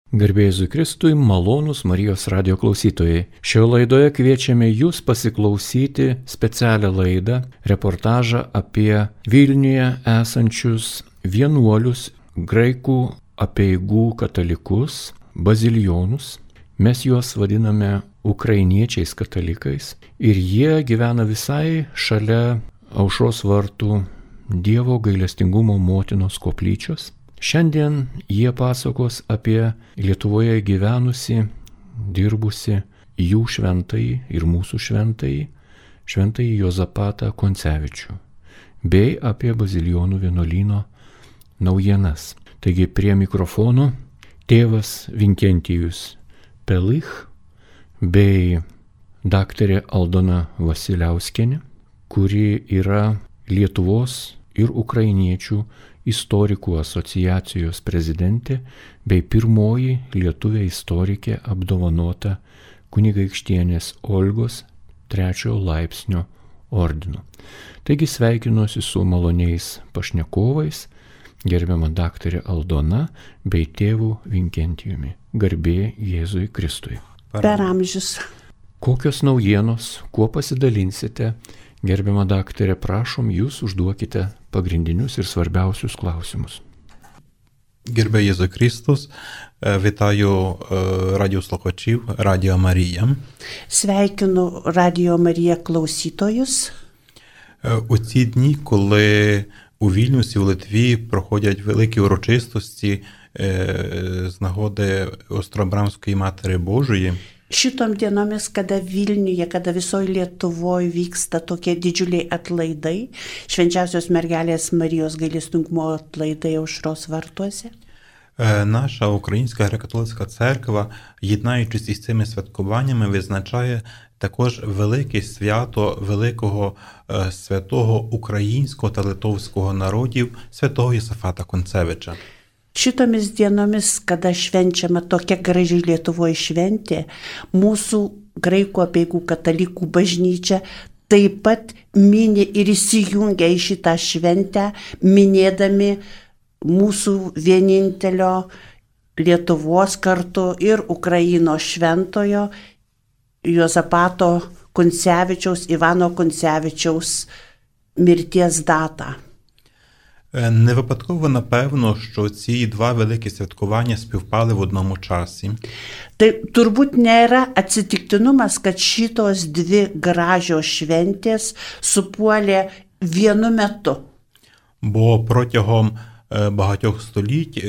Garbė Jėzui Kristui, malonūs Marijos radijo klausytojai. Šioje laidoje kviečiame jūs pasiklausyti specialią laidą, reportažą apie Vilniuje esančius vienuolius, graikų apeigų katalikus, bazilijonus. Mes juos vadiname ukrainiečiais katalikais ir jie gyvena visai šalia Aušros vartų Dievo gailestingumo motinos koplyčios. Šiandien jie pasakos apie Lietuvoje gyvenusi, dirbusi jų šventąjį ir mūsų šventąjį Juozapatą Koncevičių, bei apie bazilijonų vienuolyno naujienas. Taigi prie mikrofono tėvas Vinkentijus Pelich bei daktarė Aldona Vasiliauskienė, kuri yra Lietuvos ir ukrainiečių istorikų asociacijos prezidentė bei pirmoji lietuvė istorikė apdovanota kunigaikštienės Olgos 3 laipsnio ordinu. Taigi sveikinuosi su maloniais pašnekovais, gerbiama daktarė Aldona bei tėvu Vinkentijumi. Garbė Jėzui Kristui. Per amžius. Kokios naujienos, kuo pasidalinsite? Gerbiama daktarė, prašom, jūs užduokite pagrindinius ir svarbiausius klausimus. Гербе Єзу Христос, вітаю радіослухачів Радіо Марія. Sveikinu Radio Marija klausytojus. У ці дні, коли у Вільнюсі, у Литві проходять великі урочистості з нагоди Остробрамської Матері Божої, Šitom dienomis, kada Vilniuje, kada visoje Lietuvoje vyksta tokie didžiuliai atlaidai, švenčiausios mergelės Marijos gailestingumo atlaidai Aušros vartuose. Наша Українська греко-католицька церква, єднаючись із цими святкуваннями, визначає також велике свято великого святого українського та литовського народів, святого Єсафата Концевича. Šitomis dienomis, kada švenčiama tokia graži Lietuvoje šventė, mūsų graikų apeigų katalikų bažnyčia taip pat mini ir įsijungia į šitą šventę, minėdami mūsų vienintelio Lietuvos kartu ir Ukrainos šventojo Juozapato Koncevičiaus, Ivano Koncevičiaus mirties datą. Не випадково, напевно, що ці два великі святкування співпали в одному часі. Tai turbūt nėra atsitiktinumas, kad šitos dvi gražios šventės supuolė vienu metu. Бо протягом багатьох століть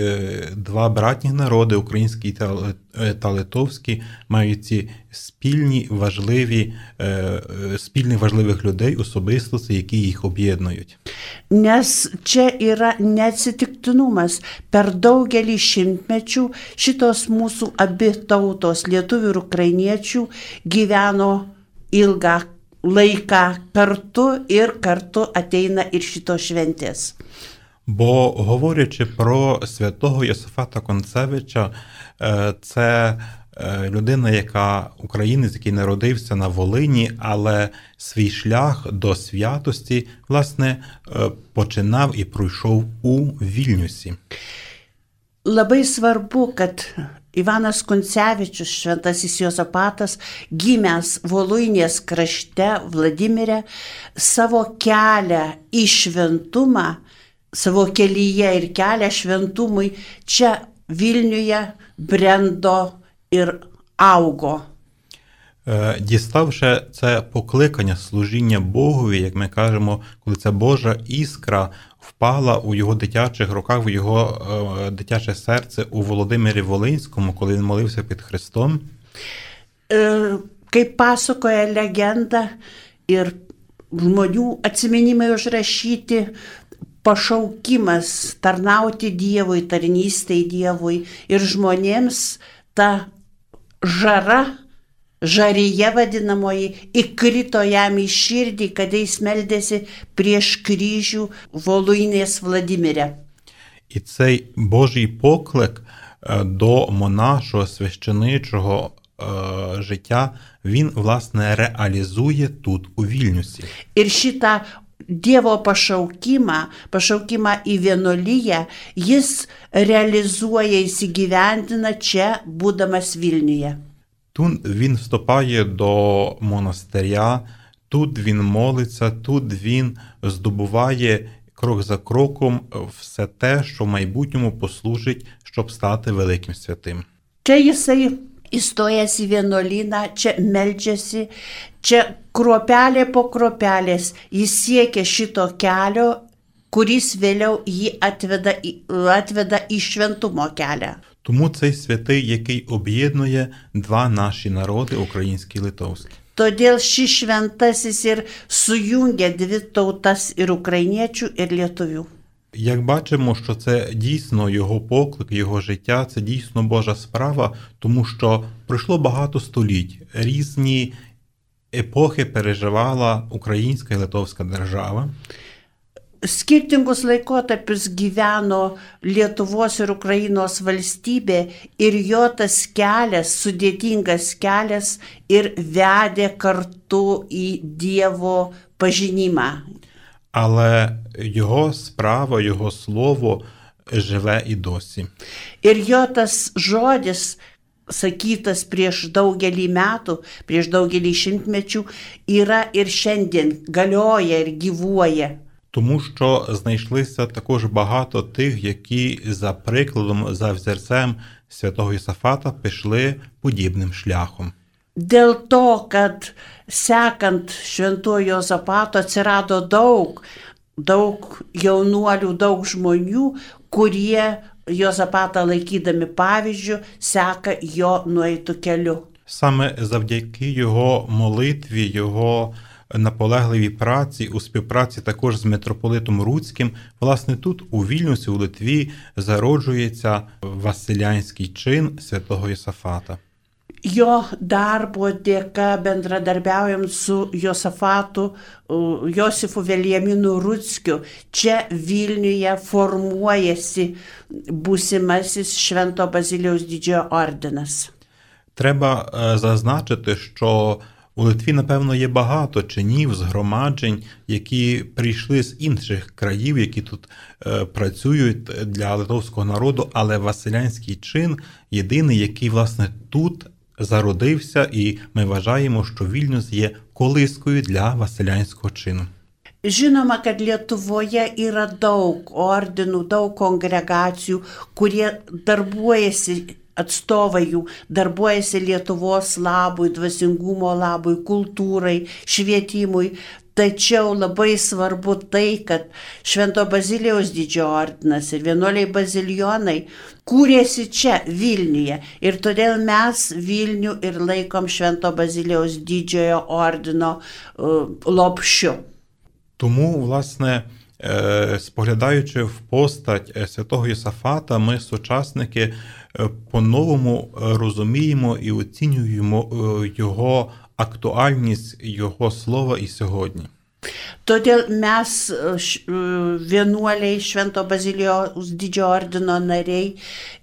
два братні народи, український та литовський, мають ці спільних важливих людей, особистостей, які їх об'єднують. Nes čia yra neatsitiktinumas. Per daugelį šimtmečių šitos mūsų abi tautos, lietuvių ir ukrainiečių, gyveno ilgą laiką kartu ir kartu ateina ir šitos šventės. Бо, говорячи про святого Єсафата Концевича, це людина, українець, який народився на Волині, але свій шлях до святості, власне, починав і пройшов у Вільнюсі. Labai svarbu, kad Ivanas Koncevičius, šventasis Juozapatas, gimęs Voluinės krašte, Vladimire, savo kelią į šventumą, savo kelyje ir kelią šventumui čia Vilniuje brendo ir augo. Діставши це покликання служіння Богові, як ми кажемо, коли ця Божа іскра впала у його дитячих руках, в його дитяче серце у Володимирі Волинському, коли він молився під Христом. Kaip pasakoja legenda ir žmonių atsiminimai užrašyti, pašaukimas tarnauti Dievui, tarnystei Dievui ir žmonėms ta žaryje vadinamoji įkrito jam į širdį, kada jis meldėsi prieš kryžių Voluinės Vladimire. І цей Божий поклик до монашого, священичого життя, він, власне, реалізує тут, у Вільнюсі. Ir šitą Dievo pašaukimą į vienuoliją jis realizuoja, įsigyvendina čia, būdamas Vilniuje. Тут він вступає до монастиря, тут він молиться, тут він здобуває крок за кроком все те, що в майбутньому послужить, щоб стати великим святим. Čia jisai įstojęs į vienuolyną, čia meldžiasi, čia kruopelė po kruopelės jis siekia šito kelio, kuris vėliau jį atveda į šventumo kelią. Тому цей святий, який об'єднує два наші народи, український і литовський. Todėl šis šventasis ir sujungia dvi tautas ir ukrainiečių, ir lietuvių. Як бачимо, що це дійсно його поклик, його життя, це дійсно Божа справа, тому що пройшло багато століть. Різні епохи переживала українська і литовська держава. Skirtingus laikotarpius gyveno Lietuvos ir Ukrainos valstybė ir jo tas kelias, sudėtingas kelias ir vedė kartu į Dievo pažinimą. Але його справа, його слово живе і досі. Ir jo tas žodis, sakytas prieš daugelį metų, prieš daugelį šimtmečių, yra ir šiandien galioja ir gyvuoja. Тому що знайшлися також багато тих, які за прикладом, за взірцем святого Йосафата пішли подібним шляхом. Dėl to, kad sekant šventojo Juozapato atsirado daug jaunuolių, daug žmonių, kurie Juozapatą laikydami pavyzdžių seka jo nueitų keliu. Саме завдяки його молитві, його наполегливій праці, у співпраці також з митрополитом Руцьким, власне тут у Вільнюсі, у Литві, зароджується василянський чин святого Йосафата. Jo darbo dėka bendradarbiaujant su Josafatu, Josifu Veliaminu Ruckiu, čia Vilniuje formuojasi būsimasis Švento Bazilijaus Didžiojo ordinas. Треба зазначити, що у Литві, напевно, є багато чинів, згромаджень, які прийшли з інших країв, які тут працюють для литовського народу, але василянський чин єдиний, який, власне, тут зародився, і ми вважаємо, що Вільнюс є колискою для василянського чину. Žinoma, kad Lietuvoje yra daug ordinų, daug kongregacijų, kurie darbuojasi, atstovai jų darbuojasi Lietuvos labui, dvasingumo labui, kultūrai, švietimui. Tačiau labai svarbu tai, kad Švento Bazilijaus Didžiojo ordinas ir vienuoliai bazilijonai kūrėsi čia, Vilniuje. Ir todėl mes Vilnių ir laikom Švento Bazilijaus Didžiojo ordino lopšiu. Тому, власне, споглядаючи в постать святого Йосафата, ми, сучасники, по-новому розуміємо і оцінюємо його актуальність, його слова і сьогодні. Todėl mes, vienuoliai Švento Bazilijaus Didžiojo ordino nariai,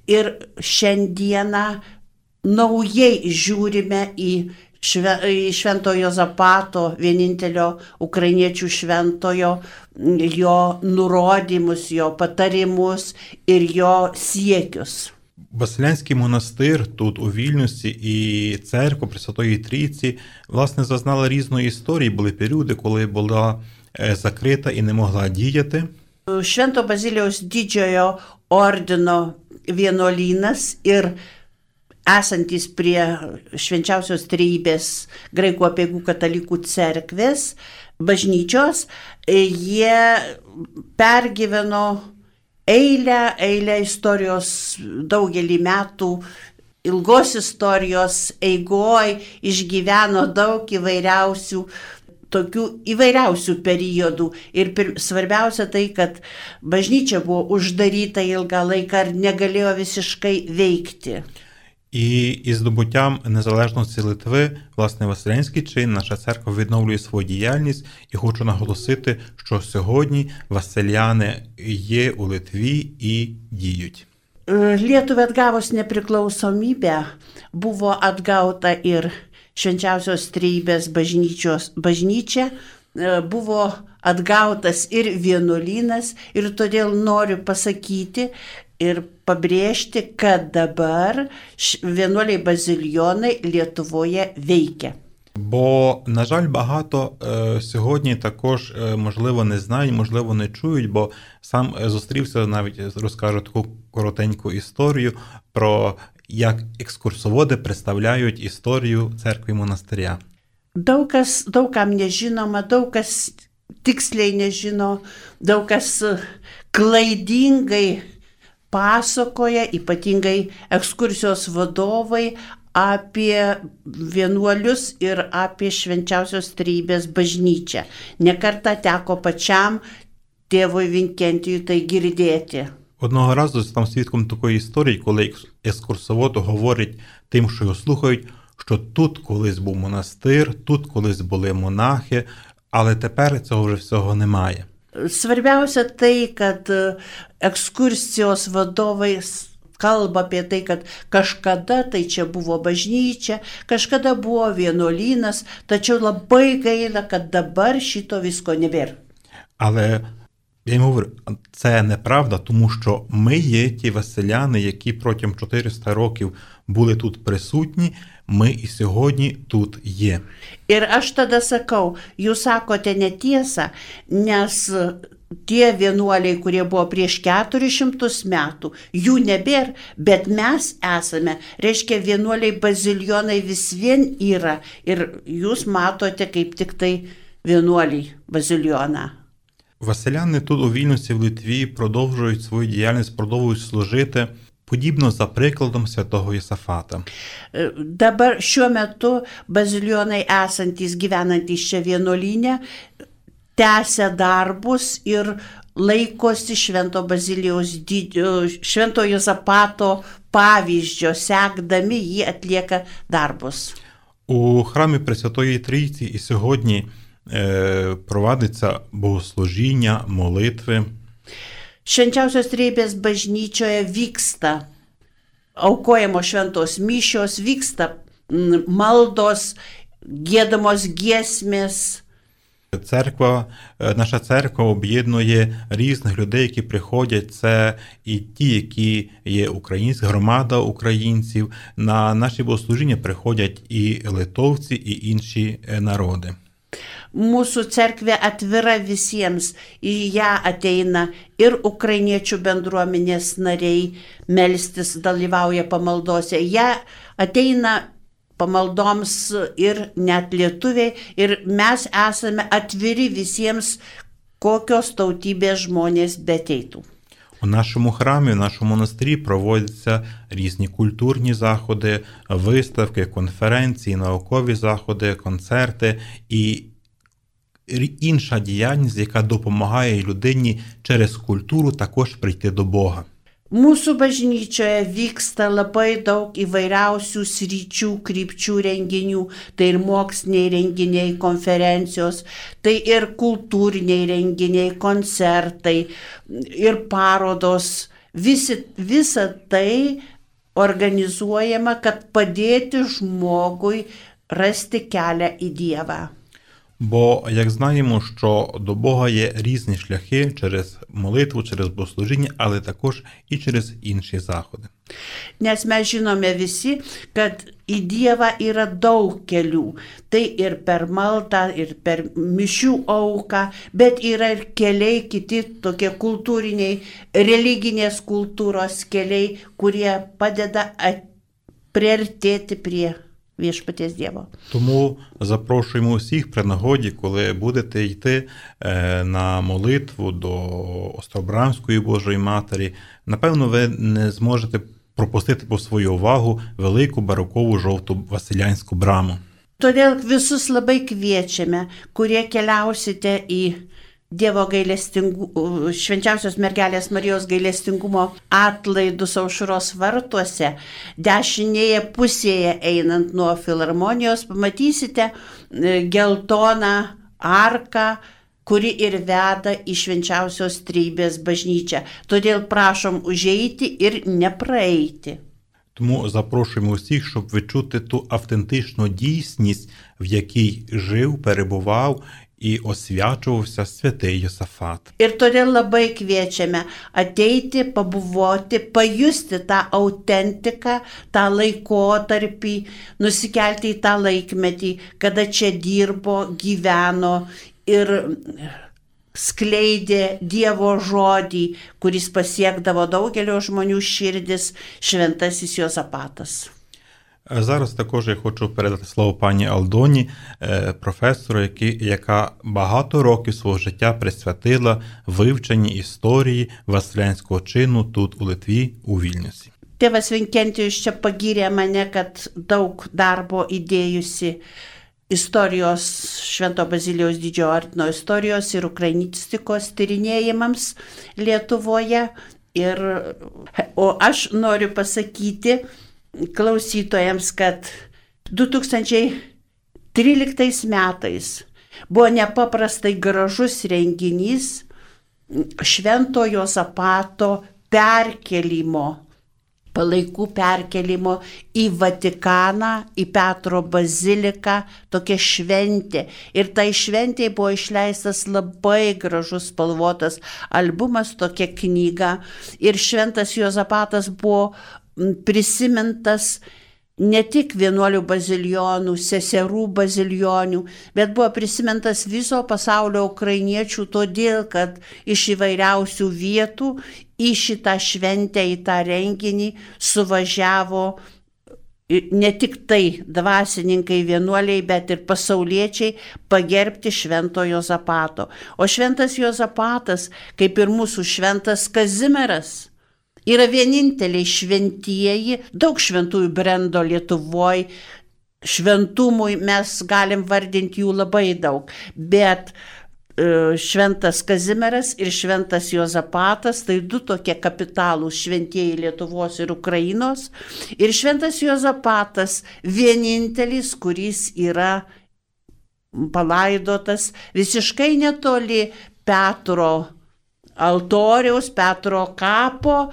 ir šiandieną naujai žiūrime į Švento Juozapato, vienintelio ukrainiečių šventojo, jo nurodymus, jo patarimus ir jo siekius. Василянський монастир тут у Вільнюсі і церква Пресвятої Трійці, власне, зазнала різної історії. Були періоди, коли була закрита і не могла діяти. Švento Bazilijaus Didžiojo ordino vienuolynas ir esantis prie Švenčiausios Trejybės Graikų apeigų katalikų cerkvės, bažnyčios, jie pergyveno eilę istorijos daugelį metų, ilgos istorijos eigoj išgyveno daug įvairiausių periodų. Ir svarbiausia tai, kad bažnyčia buvo uždaryta ilgą laiką ir negalėjo visiškai veikti. І із здобуттям незалежності Литви, власне, василянський чин, наша церква відновлює свою діяльність. І хочу наголосити, що сьогодні василяни є у Литві і діють. Lietuvai atgavus nepriklausomybę buvo atgauta ir Švenčiausios Trejybės bažnyčia, buvo atgautas ir vienuolynas ir todėl noriu pasakyti ir pabrėžti, kad dabar vienuoliai bazilijonai Lietuvoje вейке. Бо, на жаль, багато сьогодні також, можливо, не знають, можливо, не чують, бо сам зустрівся, навіть розкажу таку коротеньку історію про як екскурсоводи представляють історію церкви і монастиря. Daug kam nežinoma, daug kas tiksliai nežino, daug kas klaidingai pasakoja, ypatingai ekskursijos vadovai, apie vienuolius ir apie Švenčiausios Trejybės bažnyčią. Nekartą teko pačiam tėvui Vinkentijui tai girdėti. Одного разу став свідком такої історії, коли екскурсовод говорить тим, що його слухають, що тут колись був монастир, тут колись були монахи, але тепер цього вже всього немає. Svarbiausia tai, kad ekskursijos vadovai kalba apie tai, kad kažkada tai čia buvo bažnyčia, kažkada buvo vienuolynas, tačiau labai gaila, kad dabar šito visko nebėra. Але я йому говорю, це неправда, тому що ми є ті василяни, які протягом 400 років були тут присутні, ми і сьогодні тут є. Ir aš tada sakau, jūs sakote netiesą, nes tie vienuoliai, kurie buvo prieš 400 metų, jų nebėra, bet mes esame, reiškia vienuoliai bazilijonai vis vien yra ir jūs matote kaip tik tai vienuoliai bazilijoną. Василяни тут у Вільнюсі, в Литві продовжують свою діяльність, продовжують служити, подібно за прикладом святого Єсафата. Dabar šiuo metu bazilijonai esantys, gyvenantys čia vienuolyne, tęsia darbus ir laikosi Švento Bazilijaus Švento Juozapato pavyzdžio, sekdami jį atlieka darbus. У храмі Пресвятої Трійці і сьогодні провадиться богослужіння, молитви. Švenčiausios Trejybės bažnyčioje vyksta aukojamos šventos mišios, vyksta maldos, giedamos giesmės. Наша церква об'єднує різних людей, які приходять. Це і ті, які є українські, громада українців. На наші богослужіння приходять і литовці, і інші народи. Mūsų cerkvė atvira visiems, į ją ateina ir ukrainiečių bendruomenės nariai melstis, dalyvauja pamaldose, ją ateina pamaldoms ir net lietuviai ir mes esame atviri visiems, kokios tautybės žmonės beteitų. У нашому храмі, в нашому монастирі проводяться різні культурні заходи, виставки, конференції, наукові заходи, концерти і інша діяльність, яка допомагає людині через культуру також прийти до Бога. Mūsų bažnyčioje vyksta labai daug įvairiausių sričių, krypčių renginių, tai ir moksliniai renginiai, konferencijos, tai ir kultūriniai renginiai, koncertai, ir parodos. Visa tai organizuojama, kad padėti žmogui rasti kelią į Dievą. Бо, як знаємо, що до Бога є різні шляхи через молитву, через богослужіння, але також і через інші заходи. Nes mes žinome visi, kad į Dievą yra daug kelių. Tai ir per maldą, ir per mišių auką, bet yra ir keliai kiti, tokie kultūriniai, religinės kultūros keliai, kurie padeda priartėti prie viešpaties Dievo. Тому запрошуємо усіх при нагоді, коли будете йти на молитву до Остробрамської Божої Матері, напевно, ви не зможете пропустити по свою увагу велику барокову жовту Василянську браму. Todėl visus labai kviečiame, kurie keliausite į Dievo Švenčiausios mergelės Marijos gailestingumo atlaidus Aušros vartuose, dešinėje pusėje einant nuo filharmonijos, pamatysite geltoną arką, kuri ir veda į Švenčiausios Trejybės bažnyčią. Todėl prašom užeiti ir nepraeiti. Тому запрошуємо усіх, щоб відчути ту автентичну дійсність, в якій жив, перебував і освячувався святий Йосафат. Ir todėl labai kviečiame ateiti, pabuvoti, pajusti tą autentiką, tą laikotarpį, nusikelti į tą laikmetį, kada čia dirbo, gyveno ir skleidė Dievo žodį, kuris pasiekdavo daugelio žmonių širdis, šventasis Jozapatas. Зараз також я хочу передати слово пані Алдоні, професору, яка багато років свого життя присвятила вивченні історії Василянського činu тут у Литві, у Вільнюсі. Tėvas Vinkentijus čia pagyrė mane, kad daug darbo įdėjusi istorijos, Švento Bazilijaus Didžiojo ordino istorijos ir ukrainistikos tyrinėjimams Lietuvoje. O aš noriu pasakyti klausytojams, kad 2013 metais buvo nepaprastai gražus renginys Švento Jozapato perkelimo, palaikų perkelimo į Vatikaną, į Petro baziliką, tokia šventė. Ir tai šventėje buvo išleistas labai gražus spalvotas albumas, tokia knyga. Ir Šventas Jozapatas buvo prisimintas ne tik vienuolių bazilijonų, seserų bazilionių, bet buvo prisimintas viso pasaulio ukrainiečių, todėl kad iš įvairiausių vietų į šitą šventę, į tą renginį suvažiavo ne tik tai dvasininkai, vienuoliai, bet ir pasauliečiai pagerbti Švento Jozapato. O Šventas Jozapatas, kaip ir mūsų Šventas Kazimieras, yra vieninteliai šventieji, daug šventųjų brendo Lietuvoje, šventumui mes galim vardinti jų labai daug, bet Šventas Kazimieras ir Šventas Jozapatas, tai du tokie kapitalūs šventieji Lietuvos ir Ukrainos, ir Šventas Jozapatas vienintelis, kuris yra palaidotas visiškai netoli Petro altoriaus, Petro kapo.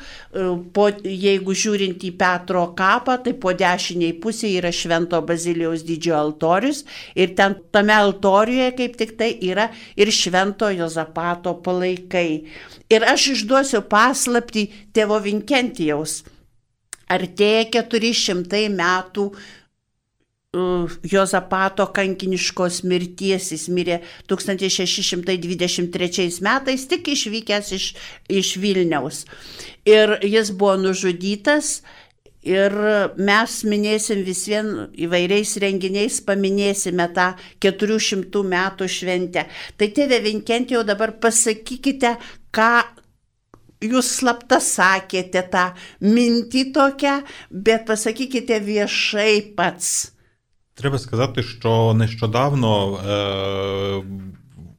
Jeigu žiūrint į Petro kapą, tai po dešiniai pusėje yra Švento Bazilijaus Didžiojo altorius ir ten tame altoriuje kaip tik tai yra ir Švento Jozapato palaikai. Ir aš išduosiu paslaptį tėvo Vinkentijaus. Artėja 400 metų Jozapato kankiniškos mirties. Jis mirė 1623 metais, tik išvykęs iš Vilniaus. Ir jis buvo nužudytas ir mes minėsim vis vien įvairiais renginiais, paminėsime tą 400 metų šventę. Tai tėve Vinkentijau, dabar pasakykite, ką jūs slapta sakėte, tą mintį tokią, bet pasakykite viešai pats. Треба сказати, що нещодавно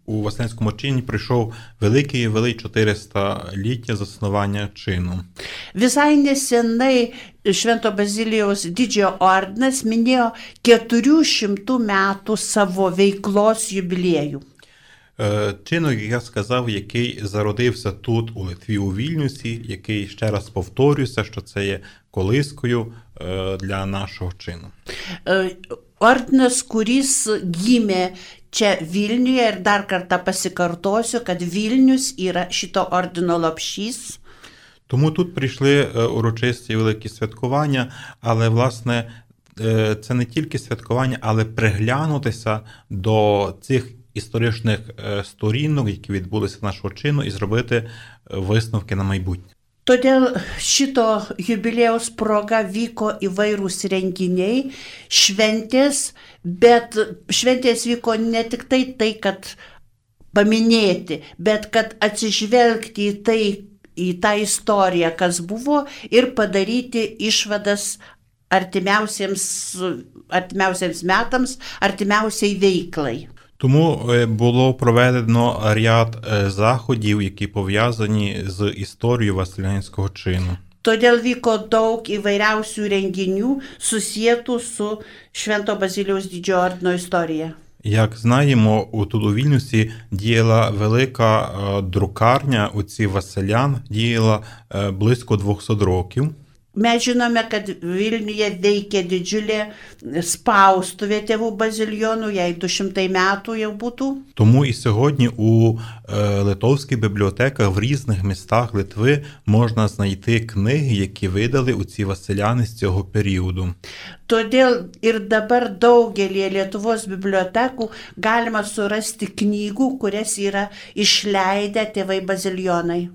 у Василянському чині прийшов великий 400-ліття заснування чину. Visai nesenai Švento Bazilijaus Didžiojo ordinas minėjo 400 metų savo veiklos jubiliejų. Чину, як я сказав, який зародився тут, у Литві, у Вільнюсі, який, ще раз повторюся, що це є колискою для нашого činu. Ordinas, kuris gimė čia Vilniuje, ir dar kartą pasikartosiu, kad Vilnius yra šito ordino lopšys. Тому тут прийшли урочисті великі святкування, але, власне, це не тільки святкування, але приглянутися до цих історичних сторінок, які відбулися нашого činu, і зробити висновки на майбутнє. Todėl šito jubiliejaus proga vyko įvairūs renginiai, šventės, bet šventės vyko ne tik tai, kad paminėti, bet kad atsižvelgti į tą istoriją, kas buvo, ir padaryti išvadas artimiausiems metams, artimiausiai veiklai. Тому було проведено ряд заходів, які пов'язані з історією Василянського činu. Todėl vyko daug įvairiausių renginių susietų su Švento Bazilijaus Didžiojo ordino istorija. Як знаємо, тут у Вільнюсі діяла велика друкарня отців Василян, діяла близько 200 років. Mes žinome, kad Vilniuje veikia didžiulė spaustuvė tėvų bazilijonų, jai 200 metų jau būtų. Тому і сьогодні у литовських бібліотеках в різних містах Литви можна знайти книги, які видали оці василяни з цього періоду. Todėl ir dabar daugelį Lietuvos bibliotekų galima surasti knygų, kurias yra išleidę tėvai bazilijonai.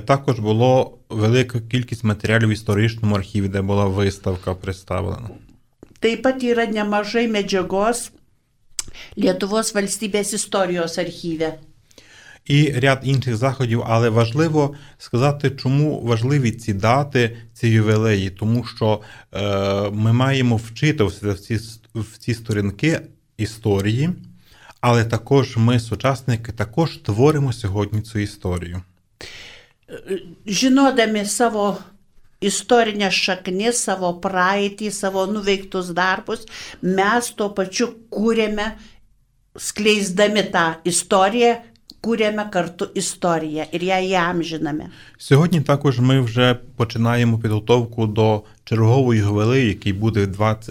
Також було велика кількість матеріалів в історичному архіві, де була виставка представлена. Taip pat yra nemažai medžiagos Lietuvos valstybės istorijos archyve. І ряд інших заходів, але важливо сказати, чому важливі ці дати, ці ювілеї, тому що ми маємо вчитуватися в ці сторінки історії, але також ми, сучасники, також творимо сьогодні цю історію. Žinodami savo istorinės šaknis, savo praeitį, savo nuveiktus darbus, mes tuo pačiu kūrėme, skleisdami tą istoriją, kūrėme kartu istoriją ir ją įamžiname. Сьогодні також ми вже починаємо підготовку до чергового ювілею, який буде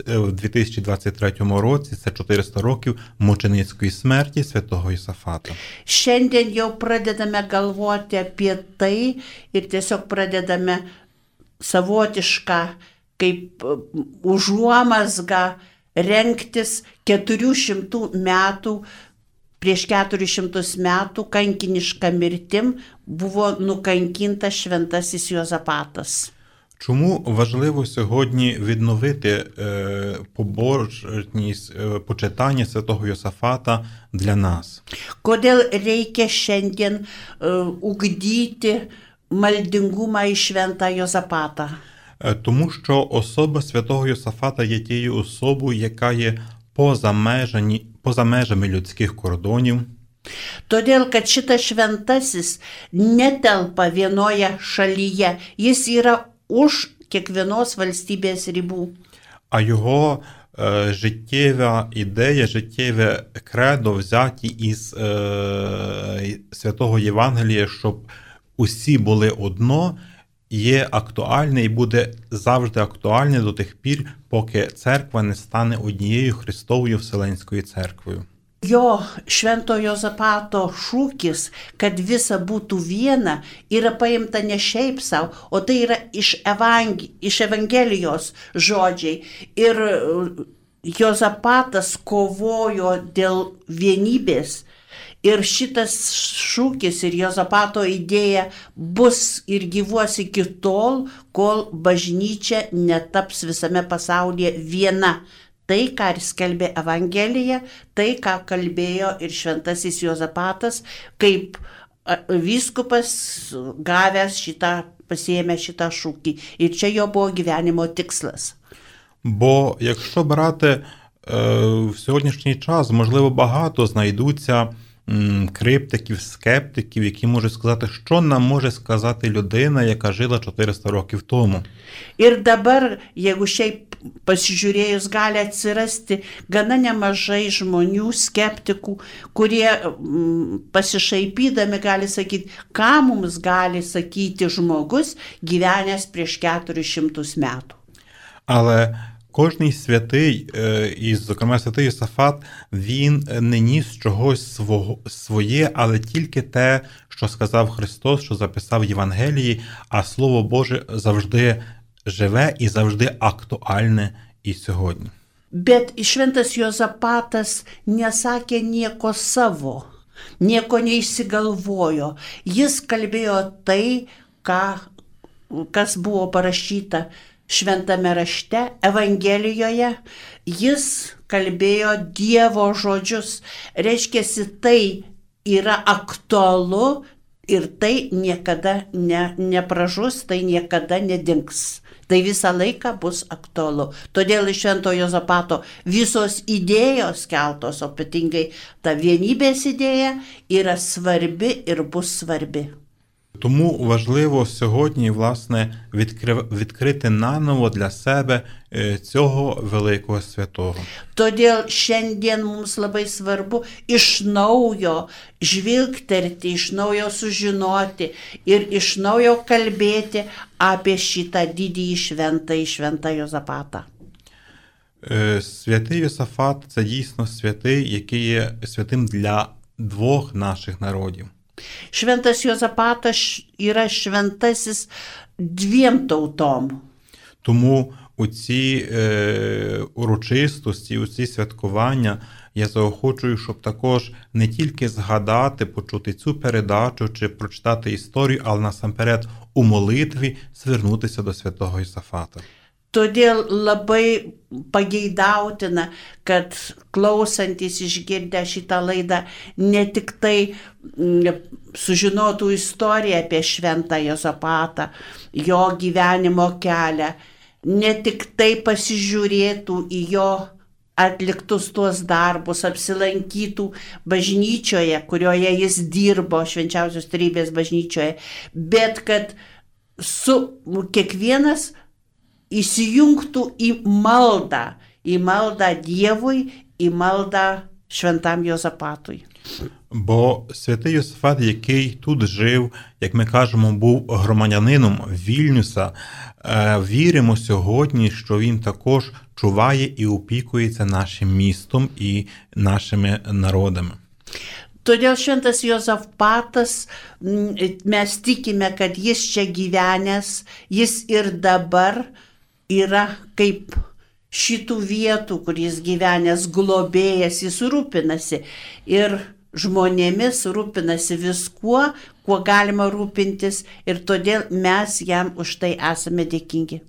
в 2023 році, це 400 років мученицької смерті святого Йосафата. Šiandien jau pradedame galvoti apie tai ir tiesiog pradedame savotišką kaip užuomazgą rengtis 400 metų. Prieš 400 metų kankiniška mirtim buvo nukankintas šventasis Juozapatas. Чому важливо сьогодні відновити побожність почитання святого Йосафата для нас? Kodėl reikia šiandien ugdyti maldingumą į šventą Juozapatą? Тому що особа святого Йосафата є тією особою, яка є поза межами людських кордонів. Todėl, kad šitas šventasis netelpa vienoje šalyje, jis yra už kiekvienos valstybės ribų. А його життєва ідея, життєве кредо взяті із святого Євангелія, щоб усі були одно, є актуальне і буде завжди актуальне до тих пір, поки церква не стане однією Христовою Вселенською церквою. Jo švento Juozapato šūkis, kad visa būtų viena, yra paimta ne šiaip savo, o tai yra iš Evangelijos žodžiai. Ir Juozapatas kovojo dėl vienybės. Ir šitas šūkis ir Juozapato idėja bus ir gyvuos iki tol, kol bažnyčia netaps visame pasaulyje viena. Tai, ką ir skelbė Evangelija, tai, ką kalbėjo ir šventasis Juozapatas, kaip vyskupas gavęs pasiėmė šitą šūkį. Ir čia jo buvo gyvenimo tikslas. Бо якщо брати в сьогоднішній час, можливо, багато знайдуться криптиків, скептиків, які можуть сказати, що нам може сказати людина, яка жила 400 років тому. Ir dabar, jeigu šiaip pasižiūrėjus, gali atsirasti gana nemažai žmonių, skeptikų, kurie pasišaipydami gali sakyti, ką mums gali sakyti žmogus gyvenęs prieš 400 metų. Але кожний святий, і, зокрема, святий Йосафат, він не ніс чогось своє, але тільки те, що сказав Христос, що записав в Євангелії, а Слово Боже завжди живе і завжди актуальне і сьогодні. Bet šventas Juozapatas nesakė nieko savo, nieko neišsigalvojo. Jis kalbėjo tai, kas buvo parašyta šventame rašte, Evangelijoje. Jis kalbėjo Dievo žodžius. Reiškiasi, tai yra aktualu ir tai niekada nepražus, tai niekada nedings. Tai visą laiką bus aktualu. Todėl iš švento Juozapato visos idėjos keltos, o ypatingai ta vienybės idėja yra svarbi ir bus svarbi. Тому важливо сьогодні, власне, відкрити наново для себе цього великого святого. Todėl šiandien mums labai svarbu iš naujo žvilgterti, iš naujo sužinoti ir iš naujo kalbėti apie šitą didįjį šventą Jozapatą. Святий Йосафат – це дійсно святий, який є святим для двох наших народів. Šventas Jozapatas yra šventasis dviem tautom. Тому у ці урочистості, у ці святкування я заохочую, щоб також не тільки згадати, почути цю передачу чи прочитати історію, але насамперед у молитві звернутися до святого Йосафата. Todėl labai pageidautina, kad klausantis išgirdę šitą laidą ne tik tai sužinotų istoriją apie šventą Jozapatą, jo gyvenimo kelią, ne tik tai pasižiūrėtų į jo atliktus tuos darbus, apsilankytų bažnyčioje, kurioje jis dirbo, Švenčiausios Trejybės bažnyčioje, bet kad kiekvienas įsijungtų į maldą Dievui, į maldą šventam Jozapatui. Бо святий Йосафат, який тут жив, як ми кажемо, був громадянином Вільнюса, віримо сьогодні, що він також чуває і опікується нашим містом і нашими народами. Todėl šventas Jozapatas, mes tikime, kad jis čia gyvenęs, jis ir dabar yra kaip šitų vietų, kur jis gyvenęs globėjas, jis rūpinasi ir žmonėmis, rūpinasi viskuo, kuo galima rūpintis ir todėl mes jam už tai esame dėkingi.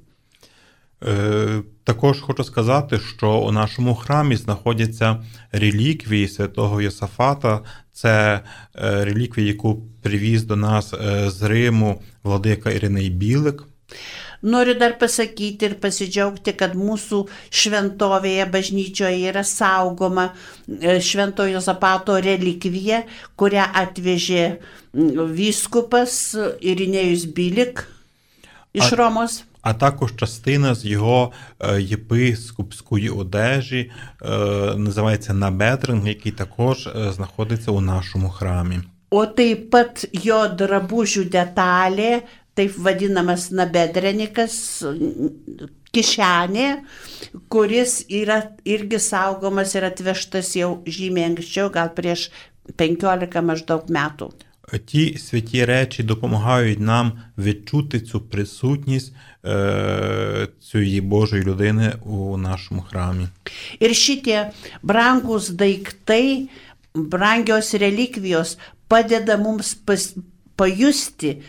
Також хочу сказати, що у нашому храмі знаходяться реліквії святого Йосафата. Це реліквія, яку привіз до нас з Риму владика Іриней Білик. Noriu dar pasakyti ir pasidžiaugti, kad mūsų šventovėje bažnyčioje yra saugoma švento Jozapato relikvija, kurią atvežė vyskupas Irinėjus Bilik iš Romos. А також частина з його єпископської одежі, називається набедринг, який також знаходиться у нашому храмі. O taip pat jo drabužių detalė, taip vadinamas nabedrenikas, kišenė, kuris yra irgi saugomas ir atvežtas jau žymiai anksčiau, gal prieš 15 maždaug metų. Ті святі речі допомагають нам відчути цю присутність цієї Божої людини у нашому храмі. Ir šitie brangus daiktai, brangios relikvijos padeda mums pajusti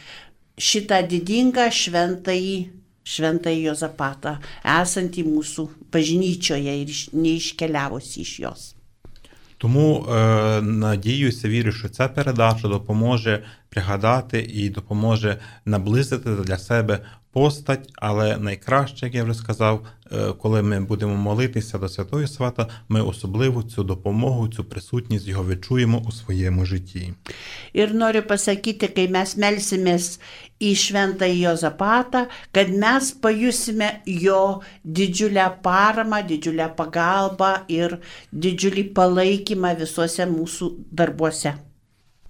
šitą didingą šventąjį Jozapatą, esantį mūsų bažnyčioje ir neiškeliavusi iš jos. Тому надіюся, вірю, що ця передача допоможе пригадати і допоможе наблизити для себе постать, але найкраще, як я вже сказав, коли ми будемо молитися до святого Йосафата, ми особливо цю допомогу, цю присутність його відчуємо у своєму житті. Ir noriu pasakyti, kai mes melsimės į šventąjį Jozapatą, kad mes pajusime jo didžiulę paramą, didžiulę pagalbą ir didžiulį palaikymą visuose mūsų darbuose.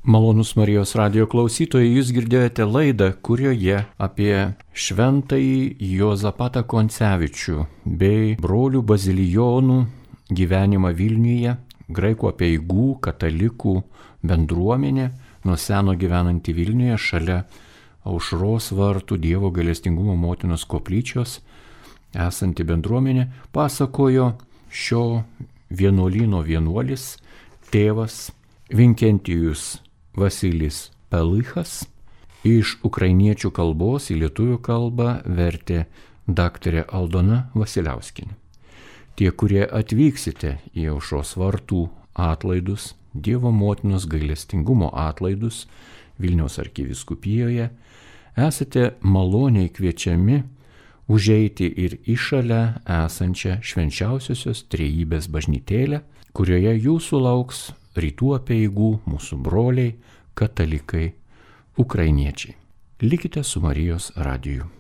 Malonus Marijos radijo klausytojai, jūs girdėjote laidą, kurioje apie šventąjį Jozapatą Koncevičių bei brolių bazilijonų gyvenimą Vilniuje, graikų apeigų, katalikų bendruomenė, nuo seno gyvenanti Vilniuje šalia Aušros vartų Dievo gailestingumo motinos koplyčios esanti bendruomenė, pasakojo šio vienuolyno vienuolis, tėvas Vinkentijus Vasilis Pelichas, iš ukrainiečių kalbos į lietuvių kalbą vertė daktarė Aldona Vasiliauskienė. Tie, kurie atvyksite į Aušros vartų atlaidus, Dievo motinos gailestingumo atlaidus Vilniaus arkivyskupijoje, esate maloniai kviečiami užeiti ir į šalia esančią Švenčiausiosios Trejybės bažnytėlę, kurioje jūsų lauks rytų apeigų mūsų broliai, katalikai, ukrainiečiai. Likite su Marijos radiju.